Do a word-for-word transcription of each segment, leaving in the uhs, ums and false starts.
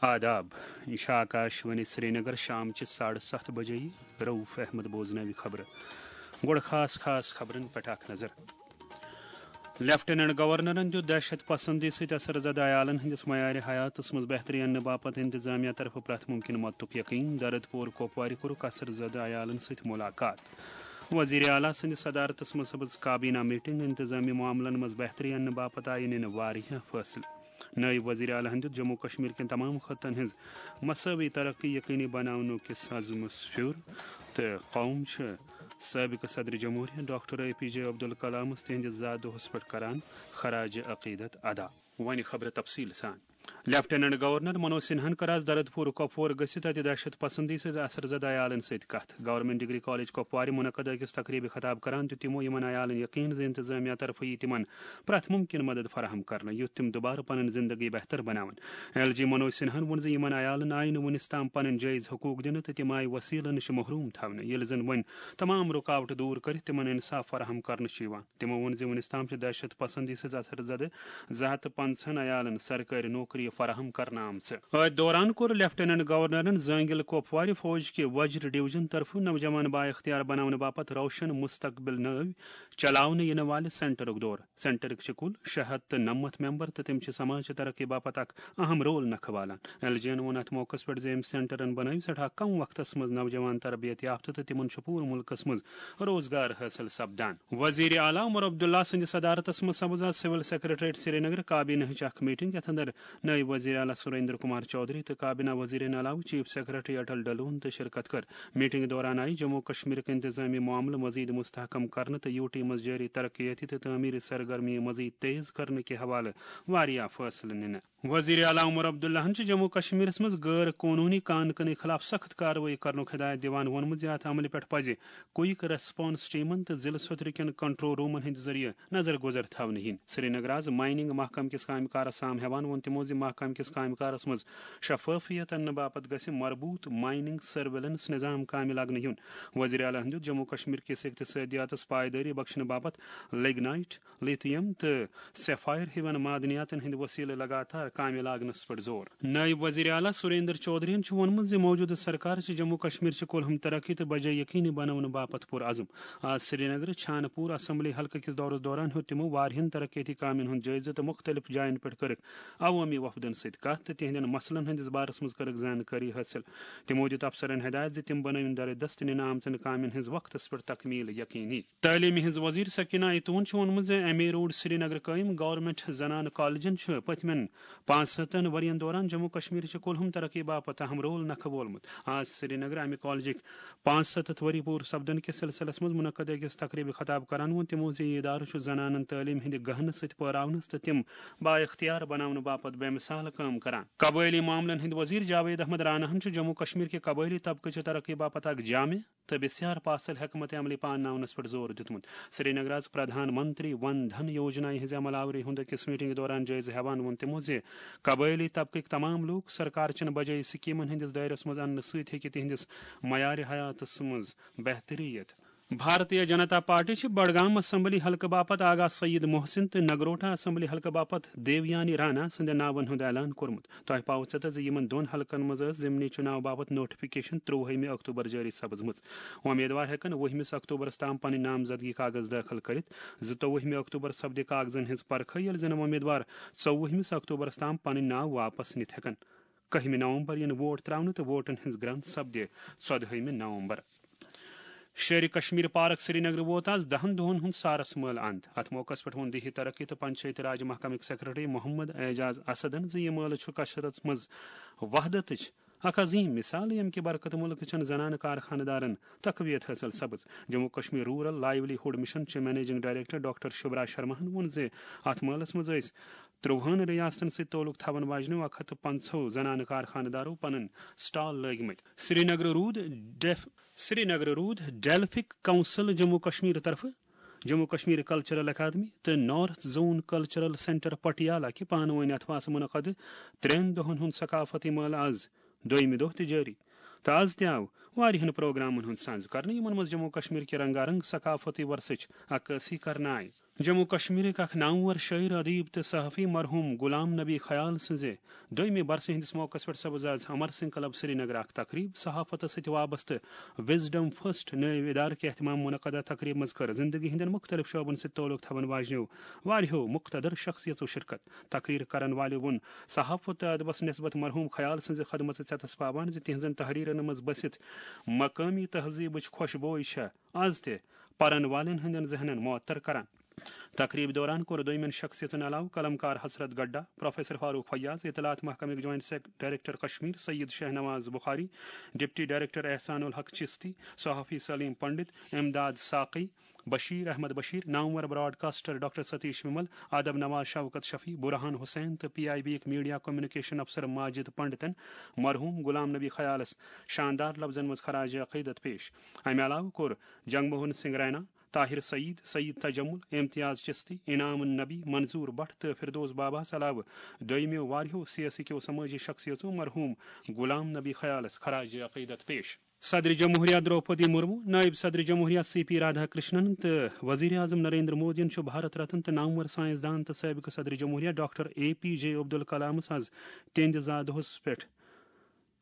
آداب، یہِ چھِ آکاش وانی سرینگر۔ شام چہِ ساڑٕ ستھ بجے رؤف احمد بوزناوِ خبرٕ۔ گۄڈٕ خاص خاص خبرن پٮ۪ٹھ اکھ نظر۔ لیفٹیننٹ گورنرن دیُت دہشت پسندی سۭتۍ اثر زدٕ عیالن ہٕنٛدِس معیارِ حیاتس منٛز بہتری اننہٕ باپتھ انتظامیہ طرفہٕ پرٛٮ۪تھ مُمکِن مدتُک یقین۔ دردپوٗر کوپوارِ کوٚرُکھ اثر زدٕ عیالن سۭتۍ مُلاقات۔ وزیر اعلیٰ سٕنٛدِ صدارتس منٛز سپٕز کابینہ میٹنگ، انتظامی معاملن منٛز بہتری اننہٕ باپتھ آیہِ نِنہٕ واریاہ فٲصلہٕ۔ نٲیِب وزیر اعلیٰ ہن دیُت جموں کشمیر کٮ۪ن تمام خطن ہٕنٛز مساوی ترقی یقینی بناونہٕ کِس عزمس پھیُر تہٕ قوم چھِ سٲبقہٕ صدر جمہوریہ ڈاکٹر اے پی جے عبدالکلامس تِہنٛدِس زا دۄہس پٮ۪ٹھ کران خراج عقیدت ادا۔ وۄنۍ خبرٕ تفصیٖل سان۔ لیفٹیننٹ گورنر منوج سنہاہن کٔر آز دردپور کۄپوور گٔژھِتھ اتہِ دہشت پسندی سۭتۍ اثر زدٕ عیالن سۭتۍ کتھ۔ گورنمنٹ ڈگری کالج کۄپوارِ منعقد أکِس تقریبہِ خطاب کران دیُت تِمو یِمن عیالن یقین زِ انتظامیہ طرفہٕ یی تِمن پرٛٮ۪تھ مُمکِن مدد فراہم کرنہٕ، یُتھ تِم دُبارٕ پنٕنۍ زندگی بہتر بناون۔ ایل جی منوج سنہاہن ووٚن زِ یِمن عیالن آیہِ نہٕ وُنِس تام پنٕنۍ جٲیز حقوق دِنہٕ تہٕ تِم آیہِ وسیلہٕ نِش محروم تھاونہٕ، ییٚلہِ زن وۄنۍ تمام رُکاوٹ دور کٔرِتھ تِمن انصاف فراہم کرنہٕ چھُ یِوان۔ تِمو ووٚن زِ وُنِس تام چھِ دہشت پسندی سۭتۍ اثر زدٕ زٕ ہتھ تہٕ پنٛژاہن عیالن سرکٲرۍ نوکری فراہم کرنہٕ آمژٕ۔ أتھۍ دوران کوٚر لیفٹیننٹ گورنرن زٲنگِل کوپوارِ فوج کہِ وجر ڈویژن طرفہٕ نوجوان بااختیار بناونہٕ باپتھ روشن مستقبل نٲوۍ چلاونہٕ یِنہٕ والہِ سینٹرُک دورٕ۔ سینٹرٕکۍ چھِ کُل شےٚ ہتھ تہٕ نَمَتھ ممبر تہٕ تِم چھِ سماجچہِ ترقی باپتھ اکھ اہم رول نکھٕ والان۔ ایل جی ین ووٚن اتھ موقعس پٮ۪ٹھ زِ أمۍ سینٹرن بنٲوۍ سٮ۪ٹھاہ کم وقتس منٛز نوجوان تربیت یافتہٕ تہٕ تِمن چھُ پوٗرٕ مُلکس منٛز روزگار حٲصِل سپدان۔ وزیر اعلیٰ عمر عبداللہ سٕنٛدِ صدارتس منٛز سپٕز آز سول سیکرٹریٹ سرینگر کابینہٕچ اکھ میٹنگ، یتھ اندر نٲیِب وزیر اعلیٰ سریندر کمار چودھری تہٕ کابینہ وزیرن علاوٕ چیف سیکرٹری اٹل ڈلون تہِ شرکت کٔر۔ میٹنگ دوران آیہِ جموں کشمیرٕکۍ انتظامی معاملہٕ مزید مستحکم کرنہٕ تہٕ یوٗ ٹی منٛز جٲری ترقیٲتی تہٕ تعمیری سرگرمی مزید تیز کرنہٕ کہِ حوالہٕ واریاہ فٲصلہٕ نِنہٕ۔ وزیر اعلیٰ عمر عبداللہن چھِ جموں کشمیرس منٛز غٲر قونوٗنی کان کنی خلاف سخت کاروٲیی کرنُک ہدایت دِوان ووٚنمُت زِ اتھ عملہِ پٮ۪ٹھ پزِ کوئک ریسپانس ٹیمن تہٕ ضلعہٕ سطرٕ کٮ۪ن کنٹرول رومن ہٕنٛدِ ذٔریعہٕ نظر گُزر تھاونہٕ یِنۍ۔ سرینگر آز مائننگ محکمہٕ کِس کامہِ کارس سام ہٮ۪وان ووٚن تِمو زِ محکمہٕ کِس کامہِ کارس منٛز شفافیت اننہٕ باپتھ گژھِ مربوط مائننگ سرویلنس نظام کامہِ لاگنہٕ یُن۔ وزیر اعلیٰ ہن دیُت جموں کشمیر کِس اقتصٲدیاتس پایدٲری بخشنہٕ باپتھ لگنائٹ، لتھیم تہٕ سیفائر ہِوٮ۪ن معدنیاتن ہٕنٛدِ وسیلہٕ لگاتار کامہِ لاگنس پٮ۪ٹھ زور۔ نٲیِب وزیر اعلیٰ سریندر چودھرین چھُ ووٚنمُت زِ موجودٕ سرکار چھِ جموں کشمیر چہِ کُلہُم ترقی تہٕ بجاے یقینی بناونہٕ باپتھ پُرعزم۔ آز سرینگرٕ چھانہٕ پوٗر اسمبلی حلقہٕ کِس دورس دوران ہیوٚت تِمو واریاہن ترقیتی کامٮ۪ن ہُنٛد جٲیزٕ تہٕ مُختٔلِف جاین پٮ۪ٹھ کٔرٕکھ عوٲمی وفدن سۭتۍ کتھ تہٕ تِہنٛدٮ۪ن مسلن ہٕنٛدِس بارس منٛز کٔرٕکھ زانکٲری حٲصِل۔ تِمو دِیُت افسرن ہدایت زِ تِم بنٲوِن درِ دست نِنہٕ آمژن کامٮ۪ن ہٕنٛز وقتس پٮ۪ٹھ تکمیل یقینی۔ تعلیمہِ ہٕنٛز وزیر سکینہ ایتون چھُ ووٚنمُت زِ ایم اے روڈ سرینگر قٲیِم گورنمنٹ زنانہٕ کالجن چھُ پٔتمٮ۪ن پانٛژھ ستن ؤرین دوران جموں کشمیرٕچہِ کُلہُم ترقی باپتھ اہم رول نکھٕ وولمُت۔ آز سرینگر امہِ کالجٕکۍ پانٛژھ ستتھ ؤری پوٗرٕ سپدن کِس سلسلس منٛز منعقد أکِس تقریبہِ خطاب کران ووٚن تِمو زِ یہِ ادارٕ چھُ زنانن تعلیٖم ہٕنٛدِ گہنہٕ سۭتۍ پٲراونس تہٕ تِم بااختیار بناونہٕ باپتھ بے مثال کٲم کران۔ قبٲئلی معاملن ہٕنٛدۍ وزیر جاوید احمد راناہن چھُ جموں کشمیر کہِ قبٲئلی طبقہٕ چہِ ترقی باپتھ اکھ جامع تہٕ بے سیار پاسل حکمت عملی پانناونس پٮ۪ٹھ زور دیُتمُت۔ سرینگر آز پردھان منتری ون دھن یوجنا ہٕنٛزِ عمل آوری ہُنٛد أکِس میٹنگ دوران جٲیزٕ ہٮ۪وان ووٚن تِمو زِ قبٲئلی طبقٕکۍ تمام لوٗکھ سرکار چٮ۪ن بجٲے سکیمن ہٕنٛدِس دٲیرس منٛز اننہٕ سۭتۍ ہیٚکہِ تِہنٛدِس معیارِ حیاتس منٛز بہتری یِتھ۔ بھارتیہ جنتا پارٹی چھِ بڈگام اسمبلی حلقہٕ باپتھ آغا سعید محسن تہٕ نگروٹا اسمبلی حلقہٕ باپتھ دیویانی رانا سٕنٛدٮ۪ن ناون ہُنٛد اعلان کوٚرمُت۔ تۄہہِ پاوٕ ژتس زِ یِمن دۄن حلقن منٛز ٲس ضمنی چُناو باپتھ نوٹیفکیشن ترٛۆوُہمہِ اکتوبر جٲری سپٕزمٕژ۔ وۄمیدوار ہٮ۪کن وُہمِس اکتوبرس تام پنٕنۍ نامزدگی کاغذ دٲخل کٔرِتھ۔ زٕتووُہمہِ اکتوبر سپدِ کاغذن ہٕنٛز پرکھٕ، ییٚلہِ زن وۄمیدوار ژوٚوُہمِس اکتوبرس تام پنٕنۍ ناو واپس نِتھ ہٮ۪کن۔ کٔہمہِ نومبر یِن ووٹ تراونہٕ تہٕ ووٹن ہٕنٛز گرٛنٛد سپدِ ژۄدہٲیمہِ نومبر۔ شیرِ کشمیر پارک سرینگر ووت آز دہن دۄہن ہُنٛد سارس مٲلہٕ اند۔ اتھ موقعس پٮ۪ٹھ ووٚن دیہی ترقی تہٕ پنچایتی راج محکمٕکۍ سیکرٹری محمد اعجاز اسدن زِ یہِ مٲلہٕ چھُ کشرس منٛز وحدتٕچ اکھ عظیم مثال، ییٚمہِ کہِ برکتہٕ مُلکہٕ چٮ۪ن زنانہٕ کارخانہٕ دارن تقویت حٲصِل سپٕز۔ Jammu Kashmir rural livelihood mission چہِ منیجنگ ڈائریکٹر ڈاکٹر شبرا شرماہن ووٚن زِ اتھ مٲلس منٛز ٲسۍ ترٛۆوُہن ریاستن سۭتۍ تعلق تھاون واجنیو اکھ ہتھ تہٕ پنٛژاہو زنانہٕ کارخانہٕ دارو پنٕنۍ سٹال لٲگۍ مٕتۍ۔ سرینگرٕ روٗد ڈیف-، سرینگرٕ روٗد ڈیلفک کونسل جموں کشمیر طرفہٕ، جموں کشمیر کلچرل اکیڈمی تہٕ نارتھ زون کلچرل سینٹر پٹیالہ کہِ پانہٕ وٲنۍ اتھواسہٕ منعقد ترٛٮ۪ن دۄہن ہُنٛد ثقافتی مٲلہٕ آز دوٚیمہِ دۄہ تہِ جٲری۔ تہٕ از تہِ آو واریاہن پروگرامن ہُنٛد سنز کرنہٕ، یِمن منٛز جموں کشمیر کہِ رنگا رنگ ثقافتی ورثٕچ عکٲسی کرنہٕ آیہِ۔ جموں کشمیرٕکۍ اکھ نامور شٲعر، ادیب تہٕ صحافی مرحوم غلام نبی خیال سٕنٛزِ دوٚیمہِ برسہِ ہٕنٛدِس موقعس پٮ۪ٹھ سپٕز از امر سنگھ کلب سرینگر اکھ تقریب۔ صحافتس سۭتۍ وابستہٕ وزڈم فرسٹ نٲوۍ ادارٕ کہِ اہتمام منعقدہ تقریب منٛز کٔر زندگی ہٕنٛدٮ۪ن مُختٔلِف شعبن سۭتۍ تعلق تھاوَن واجنیو واریاہو مُقتدر شخصیژو شرکت۔ تقریر کرن والٮ۪و ووٚن، صحافت تہٕ ادبس نسبت مرحوم خیال سٕنٛزِ خدمژٕ ژٮ۪تس پابند زِ تِہنٛزن تحریرن منٛز بٔسِتھ مقٲمی تہذیبٕچ خوشبوے چھےٚ از تہِ پرن والٮ۪ن ہٕنٛدٮ۪ن ذہنن معطر کران۔ تقریب دوران کوٚر دوٚیمٮ۪ن شخصیژن علاوٕ قلم کار حسرت گڈا، پروفیسر فاروق فیاض، اطلاعات محکمٕکۍ جوائنٹ سیک-، ڈائریکٹر کشمیر سید شہنواز بخاری، ڈپٹی ڈائریکٹر احسان الحق چشتی، صحافی سلیم پنڈت، امداد ساقی، بشیر احمد بشیر، نامور براڈ کاسٹر ڈاکٹر ستیش ومل، ادب نواز شوکت شفیع، برہان حسین تہٕ پی آئی بی یِکۍ میڈیا کمیونیکیشن افسر ماجد پنڈتن مرحوم غلام نبی خیالس شاندار لفظن منٛز خراج عقیدت پیش۔ امہِ علاوٕ کوٚر جنگ موہن سنگھ رینا، طاہر سعید، سعید تجمل، امتیاز چشتی، انعام النبی، منظور بٹ تہٕ فردوس باباہس علاوٕ دوٚیمٮ۪و واریاہو سیاسی کیو سمٲجی شخصیژو مرحوم غلام نبی خیالس خراج عقیدت پیش۔ صدر جمہوریہ درٛوپدی مرمو، نائب صدر جمہوریہ سی پی رادھا کرشنن تہٕ وزیر اعظم نریندر مودیَن چھُ بھارت رتن تہٕ نامور سائنسدان تہٕ سٲبقہٕ صدر جمہوریہ ڈاکٹر اے پی جے عبدالکلامس از تِہنٛدِ زادٕ دۄہس پٮ۪ٹھ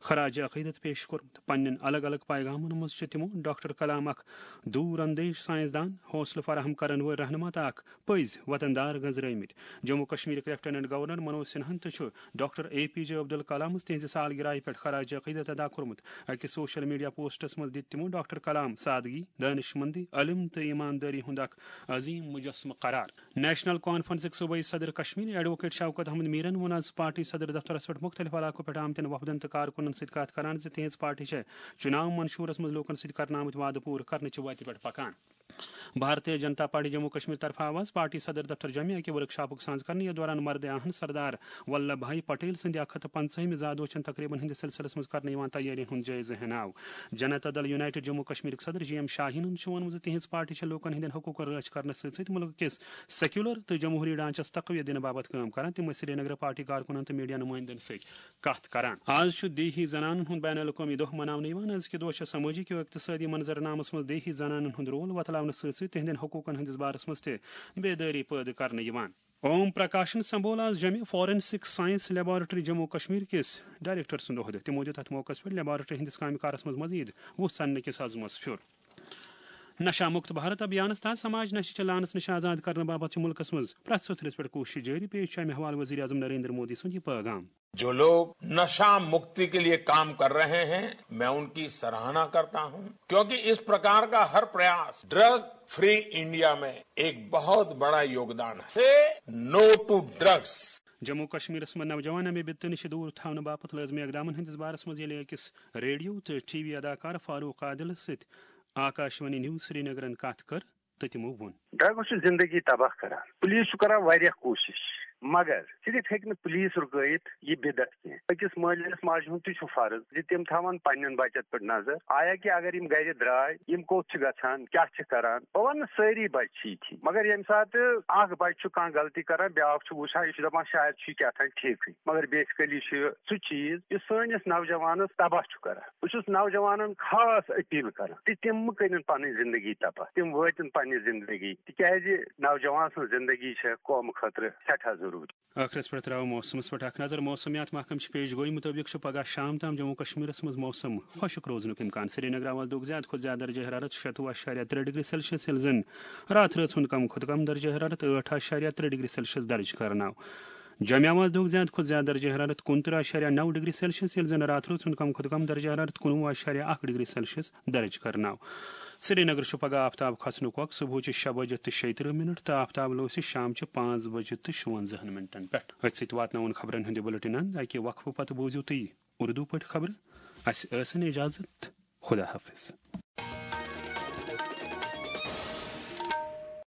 خراج عقیدت پیش کوٚرمُت۔ پننٮ۪ن الگ الگ پیغامن منٛز چھِ تِمو ڈاکٹر کلام اکھ دوٗر اندیش سائنسدان، حوصلہٕ فراہم کرن وٲلۍ رہنما تہٕ اکھ پٔزۍ وطن دار گنزرٲومٕتۍ۔ جموں کشمیرٕکۍ لیفٹیننٹ گورنر منوج سنہاہن تہِ چھُ ڈاکٹر اے پی جے عبدالکلامس تِہنٛزِ سالگرہہِ پٮ۪ٹھ خراج عقیدت ادا کوٚرمُت۔ أکِس سوشل میڈیا پوسٹس منٛز دِتۍ تِمو ڈاکٹر کلام سادگی، دانشمندی، علم تہٕ ایماندٲری ہُنٛد اکھ عظیم مجسمہٕ قرار۔ نیشنل کانفرنسٕکۍ صوبٲئی صدر کشمیر ایڈووکیٹ شوکت احمد میرن ووٚن از پارٹی صدر دفترس پٮ۪ٹھ مُختٔلِف علاقو پٮ۪ٹھ آمتٮ۪ن وفدن تہٕ کارکُنن سۭتۍ کتھ کران زِ تِہنٛز پارٹی چھےٚ چُناو منشورس منٛز لوٗکن سۭتۍ کرنہٕ آمٕتۍ وعدٕ پوٗرٕ کرنہٕ چہِ وتہِ پٮ۪ٹھ پکان۔ بھارتیہ جنتا پارٹی جموں کشمیر طرفہٕ آو از پارٹی صدر دفتر جوٚمہِ اکہِ ورکشاپُک سانز کرنہٕ، یتھ دوران مردِ آہن سردار ولبھ بھائی پٹیل سٕنٛدِ اکھ ہتھ تہٕ پنٛژاہمہِ زادوچن تقریبن ہٕنٛدِس سلسلس منٛز کرنہٕ یِوان تیٲرین ہُنٛد جٲیزٕ ہیناو۔ جنتا دل یونائیٹڈ جموں کشمیرٕکۍ صدر جی ایم شاہینن چھُ ووٚنمُت زِ تِہنٛز پارٹی چھےٚ لوٗکن ہٕنٛدٮ۪ن حقوٗقن رٲچھ کرنس سۭتۍ سۭتۍ مُلکہٕ کِس سیکولر تہٕ جمہوری ڈھانچس تقویت دِنہٕ باپتھ کٲم کران۔ تِم ٲسۍ سرینگرٕ پارٹی کارکُنن تہٕ میڈیا نُمٲیندن سۭتۍ کتھ کران۔ آز چھُ دیہی زنانن ہُنٛد بین الاقوٲمی دۄہ مناونہٕ یِوان۔ أزکہِ دۄہ چھےٚ سمٲجی کیو اقتصٲدی منظرنامس منٛز دیہی زنانن ہُنٛد رول وۄتلاونہٕ سۭتۍ سۭتۍ تِہنٛدٮ۪ن حقوٗقن ہٕنٛدِس بارس منٛز تہِ بیدٲری پٲدٕ کرنہٕ یِوان۔ اوم پرکاشن سمبھول آز جمہِ forensic science laboratory Jammu Kashmir کِس ڈائریکٹر سُنٛد عہدٕ۔ تِمو دِیُت اتھ موقعس پٮ۪ٹھ لیبارٹری ہٕنٛدِس کامہِ کارس منٛز مزید وُژھ ژننہٕ کِس عزمس پھیُر۔ نشہ مکت بھارت ابھیانس تحت سماج نشہ چہ لعنس نش آزاد کرنہٕ باپتھ چھِ ملکس منٛز پرٛٮ۪تھ سُتھرِس پٮ۪ٹھ کوٗشش جٲری۔ پیش چھُ امہِ حوالہٕ وزیر اعظم نریندر مودی سُنٛد یہِ پٲغام۔ جو لوگ نشہ مکتی کے لیے کام کر رہے ہیں، میں ان کی سراہنا کرتا ہوں، کیونکہ اس پرکار کا ہر پریاس ڈرگ فری انڈیا میں ایک بہت بڑا یوگدان ہے۔ سے نو ٹو ڈرگس۔ جموں کشمیرس منٛز نوجوان امہِ بدتہٕ نِش دوٗر تھاونہٕ باپتھ لٲزمی اقدامن ہٕنٛدِس بارس منٛز ییٚلہِ أکِس ریڈیو تہٕ ٹی وی اداکار فاروق عادلس سۭتۍ آکاشوانی نیوز سرینگرن کتھ کٔر، تہٕ تِمو ووٚن۔ ڈرگس چھُ زندگی تباہ کران۔ پولیس چھُ کران واریاہ کوٗشش، مگر صرف ہیٚکہِ نہٕ پولیس رُکٲیِتھ یہِ بدعت کینٛہہ۔ أکِس مٲلِس ماجہِ ہُنٛد تہِ چھُ فرض زِ تِم تھاوَن پننٮ۪ن بچن پٮ۪ٹھ نظر۔ آیا کہِ اگر یِم گرِ درٛاے، یِم کوٚت چھِ گژھان، کیٛاہ چھِ کران؟ بہٕ وَنہٕ نہٕ سٲری بچہِ چھِ یِتھی، مگر ییٚمہِ ساتہٕ اکھ بچہِ چھُ کانٛہہ غلطی کران، بیٛاکھ چھُ وٕچھان، یہِ چھُ دپان شاید چھُ یہِ کیٛاہ تام ٹھیٖکھٕے، مگر basically چھُ یہِ سُہ چیٖز یُس سٲنِس نوجوانس تباہ چھُ کران۔ بہٕ چھُس نوجوانن خاص اپیل کران تہِ تِم مہٕ کٔرِن پنٕنۍ زندگی تباہ، تِم وٲتِن پننہِ زندگی، تِکیازِ نوجوان سٕنٛز زندگی چھےٚ قومہٕ خٲطرٕ سٮ۪ٹھاہ ضروٗری۔ ٲخرس پٮ۪ٹھ ترٛاوو موسمس پٮ۪ٹھ اکھ نظر۔ موسمیات محکمہٕ چہِ پیش گویی مُطٲبِق چھُ پگاہ شام تام جموں کشمیرس منٛز موسم خۄشک روزنُک امکان۔ سرینگر آواز دۄگ زیادٕ کھۄتہٕ زیادٕ درجہ حرارت شیٚتوُہ اعشاریہ ترٛےٚ ڈگری سیلسیس، ییٚلہِ زن راتھ رٲژ ہُنٛد کم کھۄتہٕ کم درجہ حرارت ٲٹھ اعشاریہ ترٛےٚ ڈگری سیلسیس درج کرنہٕ آو۔ جامع آواز دۄگ زیادٕ کھۄتہٕ زیادٕ درجہ حرارت کُنترٕہ اعشاریہ نو ڈگری سیلسیس، ییٚلہِ زن راتھ رٲژ ہُنٛد کم کھۄتہٕ کم درجہ حرارت کُنوُہ اعشاریہ اکھ ڈگری سیلسیس درج کرنہٕ آو۔ سرینگر چھُ پگاہ آفتاب کھسنُک وق صبحٕچہِ شےٚ بجہِ تہٕ شیٚیہِ ترٕٛہ منٹ تہٕ آفتاب لوسہِ شامچہِ پانٛژھ بجہِ تہٕ شُوَنزاہَن منٹن پٮ۪ٹھ۔ أتھۍ سۭتۍ واتناوُن خبرن ہُنٛد یہِ بُلٹن اند۔ اَکہِ وقفہٕ پتہٕ بوٗزِو تُہۍ اردو پٲٹھۍ خبرٕ۔ اَسہِ ٲسِن اجازت۔ خدا حافظ۔